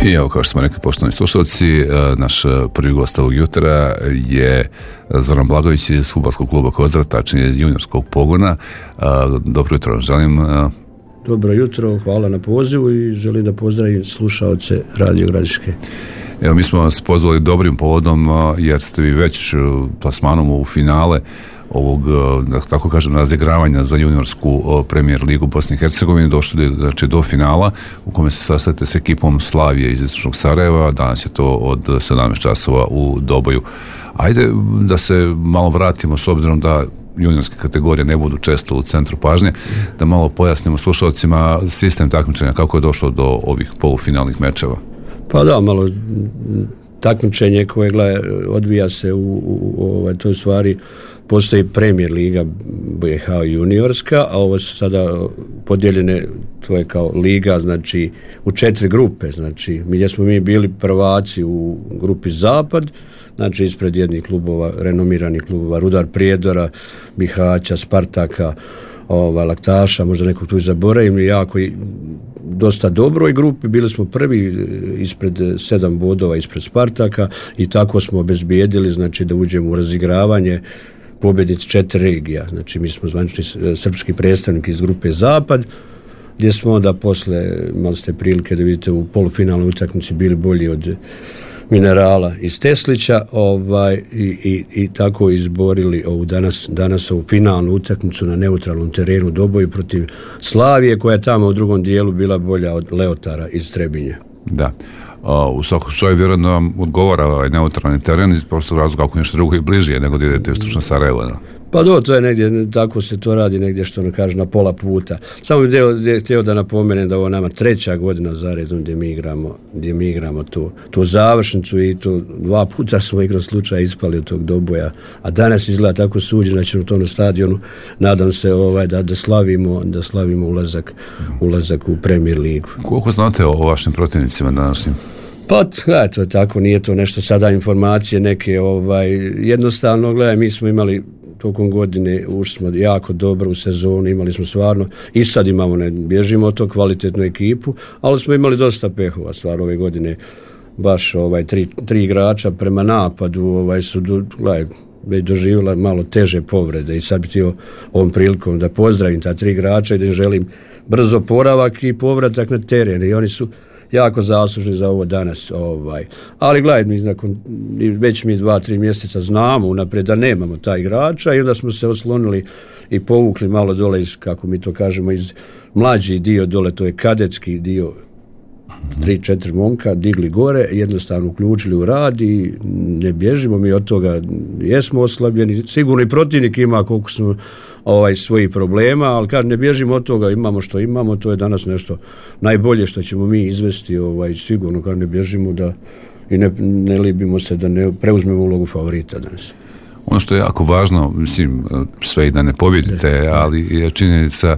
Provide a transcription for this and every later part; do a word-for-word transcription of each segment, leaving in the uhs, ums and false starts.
I evo, kao što smo rekli, poštovani slušalci, naš prvi gost ovog jutra je Zoran Blagović iz fudbalskog kluba Kozara, tačnije iz juniorskog pogona. Dobro jutro, želim. Dobro jutro, hvala na pozivu i želim da pozdravim slušaoce Radio Gradiške. Evo, mi smo vas pozvali dobrim povodom jer ste vi već plasmanom u finale ovog, da tako kažem, razigravanja za juniorsku Premier ligu Bosne i Hercegovine došli, znači, do finala u kome se sastajete s ekipom Slavije iz Istočnog Sarajeva. Danas je to od sedamnaest časova u Doboju. Ajde da se malo vratimo, s obzirom da juniorske kategorije ne budu često u centru pažnje, da malo pojasnimo slušalcima sistem takmičenja, kako je došlo do ovih polufinalnih mečeva. Pa da, malo takmičenje koje gleda, odvija se u, u, u ovaj, toj stvari. Postoji Premier liga B H juniorska, a ovo su sada podijeljene, to je kao liga, znači u četiri grupe, znači mi smo mi bili prvaci u grupi Zapad, znači ispred jednih klubova, renomiranih klubova, Rudar Prijedora, Bihaća, Spartaka, ova, Laktaša, možda nekog tu zaboravim, jako i dosta dobroj grupi, bili smo prvi ispred sedam bodova ispred Spartaka i tako smo obezbijedili, znači, da uđemo u razigravanje pobjednici četiri regija. Znači mi smo zvanični srpski predstavnik iz grupe Zapad, gdje smo onda posle, imali ste prilike da vidite u polufinalnoj utakmici, bili bolji od Minerala iz Teslića, ovaj, i, i, i tako izborili ovu danas, danas ovu finalnu utakmicu na neutralnom terenu Doboju protiv Slavije, koja je tamo u drugom dijelu bila bolja od Leotara iz Trebinje. Da. Uh, u svakom slučaju vjerujem da vam odgovara ovaj neutralni teren iz prostog razloga, ako nešto drugo i bliže nego da idete u Istočno Sarajevo. Da? Pa do, to je negdje, tako se to radi negdje, što ono kaže, na pola puta. Samo bih htio da napomenem da ovo nama treća godina za redom gdje mi igramo, gdje mi igramo tu, tu završnicu i to dva puta smo igrom slučaja ispali od tog Doboja, a danas izgleda tako suđeno, da ćemo u tom stadionu, nadam se ovaj, da, da slavimo, da slavimo ulazak, ulazak u Premier ligu. Koliko znate o vašim protivnicima današnjim? Pa, gledaj, to je tako, nije to nešto sada informacije neke, ovaj, jednostavno, gledaj, mi smo imali tokom godine, ušli smo jako dobro u sezonu, imali smo stvarno, i sad imamo, ne bježimo od to, kvalitetnu ekipu, ali smo imali dosta pehova, stvarno ove godine, baš ovaj, tri, tri igrača prema napadu, ovaj, su, gledaj, već doživjela malo teže povrede i sad bi htio ovom prilikom da pozdravim ta tri igrača i da im želim brzo poravak i povratak na teren, i oni su jako zaslužni za ovo danas. Ovaj. Ali gledaj, mi nakon, već mi dva, tri mjeseca znamo unaprijed da nemamo taj igrača i onda smo se oslonili i povukli malo dole iz, kako mi to kažemo, iz mlađi dio dole, to je kadetski dio, tri, četiri momka digli gore, jednostavno uključili u rad i ne bježimo mi od toga, jesmo oslabljeni, sigurno i protivnik ima koliko smo ovaj, svojih problema, ali kad ne bježimo od toga, imamo što imamo, to je danas nešto najbolje što ćemo mi izvesti, ovaj, sigurno kad ne bježimo da i ne, ne libimo se da ne preuzmemo ulogu favorita danas. Ono što je jako važno, mislim, sve i da ne pobjedite, ali je činjenica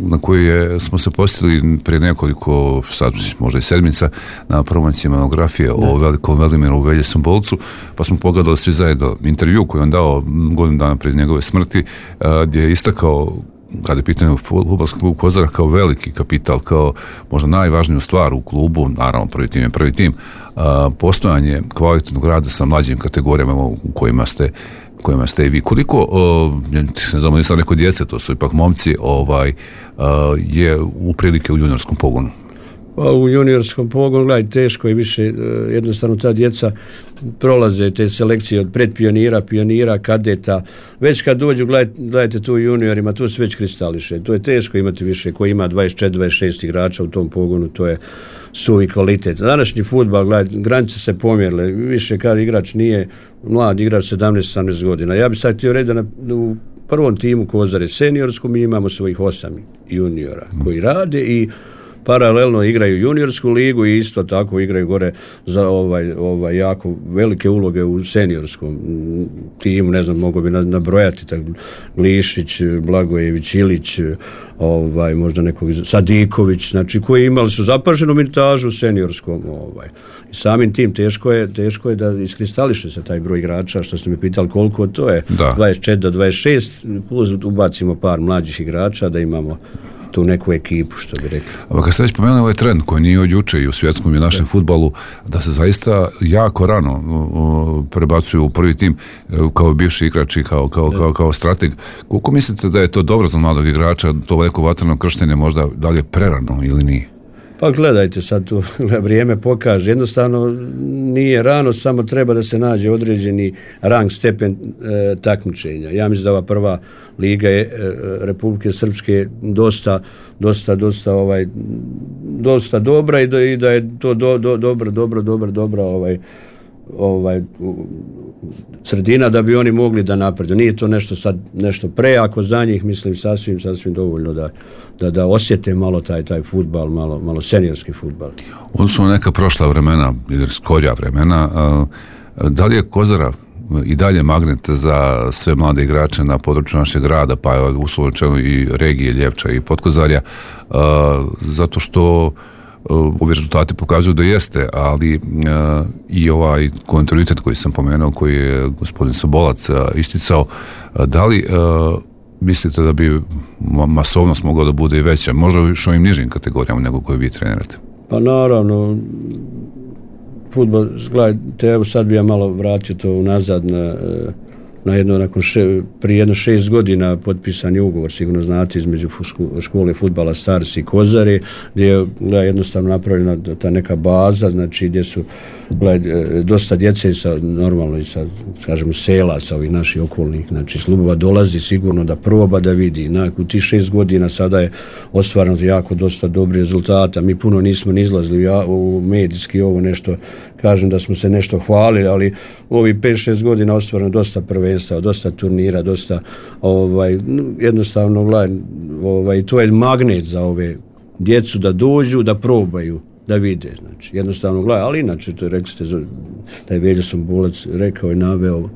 na koju je, smo se posjetili prije nekoliko, sad možda i sedmica, na promociji monografije o velikom Velimiru Veljesom Bolcu, pa smo pogledali svi zajedno intervju koji on dao godinu dana prije njegove smrti, gdje je istakao, kada je pitanje fudbalski klub Kozara, kao veliki kapital, kao možda najvažniju stvar u klubu, naravno prvi tim je prvi tim, postojanje kvalitetnog rada sa mlađim kategorijama u kojima ste kojima ste i vi. Koliko, ne znam, nisam rekao djece, to su ipak momci, ovaj, je u prilike u juniorskom pogonu? Pa u juniorskom pogonu, gledaj, teško je više, jednostavno ta djeca prolaze te selekcije od predpionira, pionira, kadeta, već kad dođu, gledajte, gledajte tu u juniorima, tu se već kristališe, to je teško imati više, ko ima dvadeset četiri dvadeset šest igrača u tom pogonu, to je suvi kvalitet. Današnji fudbal, gledajte, granice se pomjerile, više kad igrač nije mlad igrač sedamnaest osamnaest godina. Ja bih sad htio reći da na, u prvom timu Kozare seniorskom mi imamo svojih osam juniora koji rade i paralelno igraju juniorsku ligu i isto tako igraju gore za ovaj, ovaj jako velike uloge u seniorskom timu, ne znam, mogu bi nabrojati tak, Glišić, Blagojević, Ilić, ovaj, možda nekog Sadiković, znači koji imali su zapaženu minutažu u seniorskom. Ovaj. I samim tim teško je, teško je da iskristališe se taj broj igrača, što ste mi pitali koliko, to je da. dvadeset četiri do dvadeset šest, plus ubacimo par mlađih igrača da imamo tu neku ekipu, što bi rekli. A kad ste već pomenuli ovaj trend koji nije od juče i u svjetskom i našem fudbalu, da se zaista jako rano uh, prebacuju u prvi tim uh, kao bivši igrači, kao, kao, kao, kao strateg. Koliko mislite da je to dobro za mladog igrača, to neko vatreno krštenje možda dalje prerano ili nije? Pa gledajte, sad tu vrijeme pokaže. Jednostavno nije rano, samo treba da se nađe određeni rang, stepen e, takmičenja. Ja mislim da ova prva liga je, e, Republike Srpske dosta, dosta, dosta, ovaj, dosta dobra i da, i da je to do, do, dobro, dobro, dobro, dobro, ovaj, ovaj sredina da bi oni mogli da napredu. Nije to nešto sad nešto prejako za njih, mislim sasvim sasvim dovoljno da da da osjete malo taj taj fudbal, malo malo seniorski fudbal. Ovo su neka prošla vremena ili skorija vremena. Da li je Kozara i dalje magnet za sve mlade igrače na području našeg grada, pa uslovno i regije Ljevča i Potkozarja, zato što ovi rezultati pokazuju da jeste, ali uh, i ovaj kontinuitet koji sam pomenuo, koji je gospodin Sobolac uh, isticao, uh, da li uh, mislite da bi masovnost mogla da bude i veća, možda još ovim nižim kategorijama nego koje vi trenirate? Pa naravno, fudbal, gledajte, evo sad bi ja malo vratio to unazad na, na jedno, nakon še, prije jedno šest godina potpisan je ugovor, sigurno znate, između škole fudbala Stars i Kozare, gdje je gleda, jednostavno napravljena ta neka baza, znači gdje su gleda, dosta djece sa, normalno i sa, kažemo, sela, sa ovih naših okolnih, znači slubova dolazi sigurno da proba, da vidi. U tih šest godina sada je ostvareno jako dosta dobrih rezultata, mi puno nismo ni izlazili ja, u medijski ovo nešto, kažem da smo se nešto hvalili, ali u ovih pet šest godina ostvareno dosta prvenstva, dosta turnira, dosta ovaj, jednostavno ovaj, to je magnet za ove djecu da dođu, da probaju, da vide, znači, jednostavno gledaj, ali inače, to je, rekli ste, da je Veljo Sombolac rekao i naveo,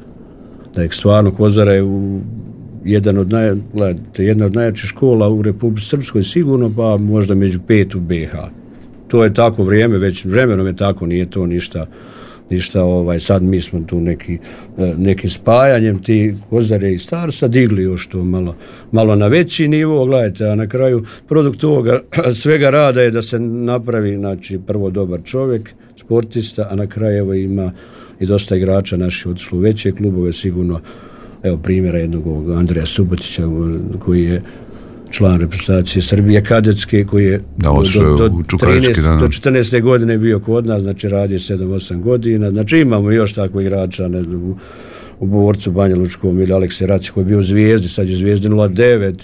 da je stvarno Kozara je u jedan od naj, gledajte, jedna od najjačih škola u Republici Srpskoj sigurno, pa možda među pet u B H. To je tako vrijeme, već vremenom je tako, nije to ništa, ništa ovaj, sad mi smo tu neki, neki spajanjem ti Kozare i Starsa digli još to malo, malo na veći nivo, gledajte, a na kraju produkt ovoga svega rada je da se napravi, znači, prvo dobar čovjek, sportista, a na kraju evo ima i dosta igrača naših otišlo u veće klubove, sigurno, evo primjera jednog Andreja Subotića koji je član reprezentacije Srbije kadetske, koji je da, do, do, do, trinaeste, do četrnaeste godine bio kod nas, znači radio sedam osam godina, znači imamo još takvih igrača, ne znam, u, u Borcu Banja Lučkom ili Alekse Raci koji je bio u Zvijezdi, sad je Zvijezdi nula devet,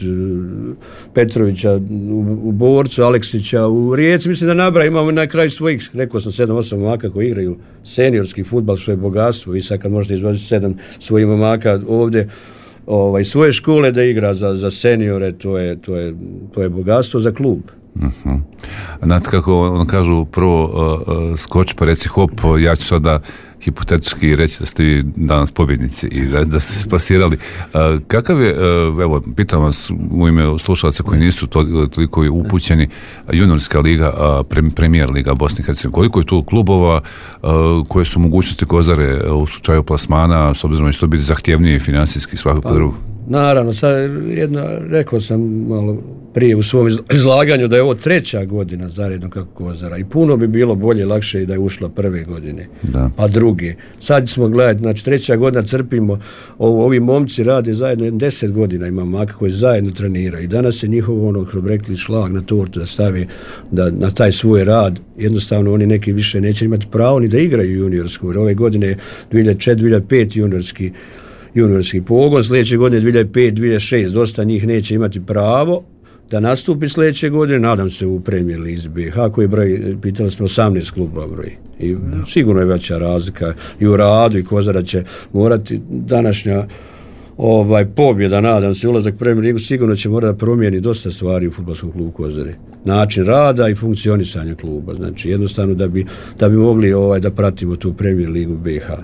Petrovića u, u Borcu, Aleksića u Rijeci, mislim da nabra, imamo na kraju svojih, rekao sam sedam osam momaka koji igraju seniorski fudbal, što je bogatstvo, i sad kad možete izvoziti sedam svojih momaka ovdje, ovaj, svoje škole da igra za, za seniore, to je, to je, to je bogatstvo za klub. Uh-huh. Znate kako on kažu, prvo uh, uh, skoči pa reci hop, ja ću sada hipotetički reći da ste vi danas pobjednici i da, da ste se plasirali. Uh, kakav je, uh, evo, pitam vas u ime slušalaca koji nisu to, toliko upućeni, juniorska liga, uh, pre, premijer liga Bosne i Hercegovine, koliko je tu klubova, uh, koje su mogućnosti Kozare u slučaju plasmana, s obzirom da će to biti zahtjevnije financijski svakako pa, drugo? Naravno, sad jedno, rekao sam malo prije u svom izlaganju da je ovo treća godina zaredno kako Kozara i puno bi bilo bolje, lakše i da je ušla prve godine, da. Pa druge. Sad smo gledati, znači treća godina crpimo, ovo, ovi momci rade zajedno, deset godina ima maka koji zajedno treniraju i danas je njihov ono, kroz rekli šlag na tortu da stave da, na taj svoj rad, jednostavno oni neki više neće imati pravo ni da igraju juniorsku, jer ove godine dvije hiljade četiri dvije hiljade pet juniorski juniorski pogon, sljedeće godine dvije hiljade pet dvije hiljade šest, dosta njih neće imati pravo da nastupi sljedeće godine, nadam se u Premier Lizi B H, koji broj, pitali smo osamnaest klubova broj. I da. Sigurno je veća razlika i u radu i Kozara će morati današnja ovaj pobjeda, nadam se, ulazak u Premier Ligu sigurno će morati da promijeni dosta stvari u fudbalskom klubu Kozare. Način rada i funkcionisanja kluba, znači jednostavno da bi, da bi mogli ovaj da pratimo tu Premier Ligu B H.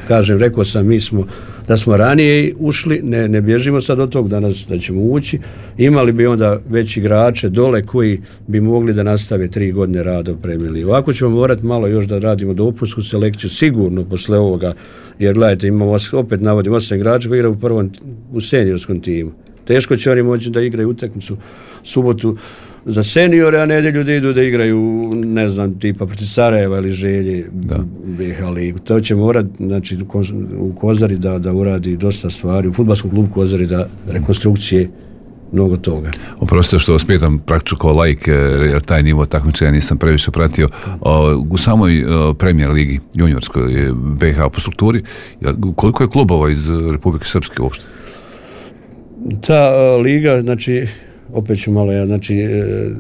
Kažem, rekao sam, mi smo da smo ranije ušli, ne, ne bježimo sad od tog danas da ćemo ući, imali bi onda već igrače dole koji bi mogli da nastave tri godine rada u Premier Ligu. Ovako ćemo morati malo još da radimo dopusku selekciju, sigurno posle ovoga, jer gledajte, imamo, opet navodim, osam igrača koji igra u prvom, u seniorskom timu. Teško će oni moći da igraju utakmicu subotu za seniore, a nedjelju da idu da igraju, ne znam, tipa protiv Sarajeva ili Želje B H ligu. To će morati, znači, u Kozari da, da uradi dosta stvari, u fudbalskom klubu Kozari da rekonstrukcije mnogo toga. Oprostite što vas pitam praktično kao laik, jer taj nivo takmičenja nisam previše pratio. U samoj Premier ligi juniorskoj B H po strukturi, koliko je klubova iz Republike Srpske uopšte? Ta liga, znači, opet ću malo, ja, znači,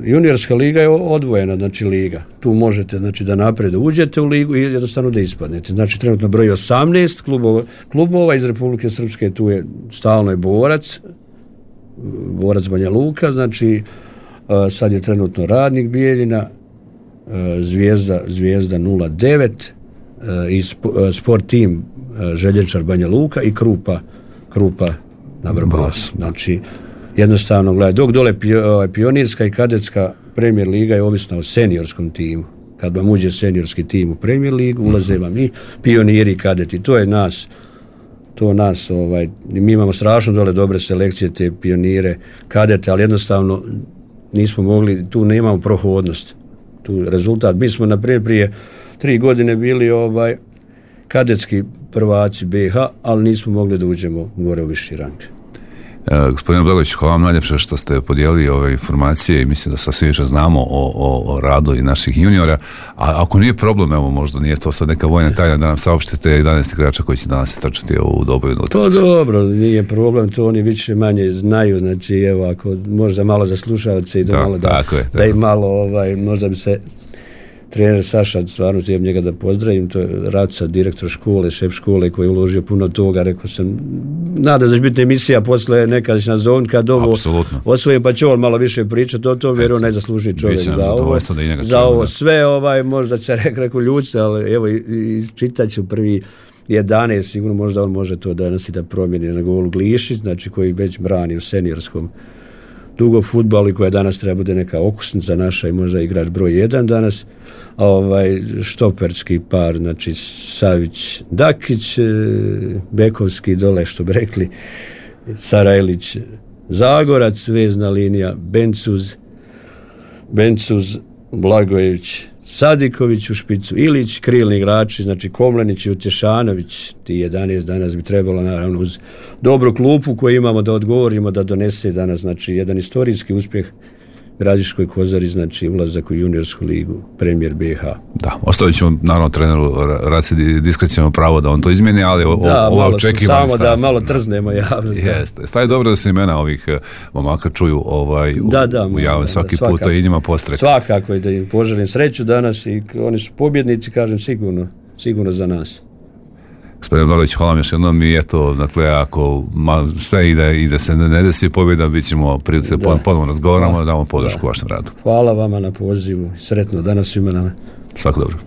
juniorska liga je odvojena, znači, liga. Tu možete, znači, da napred uđete u ligu i jednostavno da ispadnete. Znači, trenutno broji osamnaest klubova, klubova iz Republike Srpske, tu je stalno je Borac, Borac Banja Luka, znači, sad je trenutno Radnik Bijeljina, Zvijezda, Zvijezda nula devet i Sport tim Želječar Banja Luka i Krupa, Krupa na Vrbasu. Znači, jednostavno, gledaj, dok dole pionirska i kadetska Premier liga je ovisna o seniorskom timu. Kad vam uđe seniorski tim u Premier ligu, ulaze vam i pioniri i kadeti. To je nas, to nas, ovaj, mi imamo strašno dole dobre selekcije, te pionire, kadete, ali jednostavno nismo mogli, tu nemamo prohodnost. Tu rezultat, mi smo, na primjer, prije tri godine bili ovaj, kadetski prvaci B H, ali nismo mogli da uđemo gore u viši rang. Uh, gospodine Blagović, hvala vam najljepše što ste podijelili ove informacije i mislim da sasvim više znamo o, o, o radu i naših juniora, a ako nije problem, evo možda nije to sad neka vojna tajna da nam saopštite jedanaest igrača koji će danas trčati u dobojnu utakmicu. To dobro, nije problem, to oni više manje znaju, znači evo ako možda malo za slušalce i da, da malo da, je, da i malo ovaj, možda bi se trener Saša, stvarno tijem njega da pozdravim, to je Raca, direktor škole, šef škole koji je uložio puno toga, rekao sam, nada da će biti emisija posle nekad će nas zovniti kad ovo osvojim, pa će on malo više pričati o tom, jer on ne zasluži čovjek za ovo, za ovo sve, ovaj, možda će rekao ljudce, ali evo, isčitat ću prvi jedanaest, sigurno možda on može to danas i da promijeni na golu Glišić, znači koji već brani u seniorskom dugo fudbalu i koja danas treba bude neka okusnica naša i možda igrač broj jedan danas, a ovaj štoperski par, znači Savić Dakić, bekovski dole što bi rekli, Sarajlić Zagorac, vezna linija Bencuz, Bencuz, Blagojević, Sadiković u špicu, Ilić, krilni igrači, znači Komlenić i Utješanović, ti jedanaest danas bi trebalo naravno uz dobru klupu koju imamo da odgovorimo da donese danas, znači jedan istorijski uspjeh Gradiškoj Kozari, znači ulazak u juniorsku ligu Premier B H. Da, ostavit ćemo naravno treneru Raci diskreciono pravo da on to izmijeni, ali o, da, ovo očekivanje samo da malo trznemo javno. Jeste, stvari dobro da se imena ovih momaka čuju ovaj, da, da, u javno svaki da, put, to i njima postrek. Svakako je da im poželim sreću danas i oni su pobjednici, kažem, sigurno, sigurno za nas. Gospodin Blagović, hvala vam još jednom i eto, dakle, ako ma, sve ide i da se ne, ne desi pobjeda, bit ćemo prilice ponovno razgovaramo, da damo podršku vašem radu. Hvala vama na pozivu, sretno danas svima nama. Svako dobro.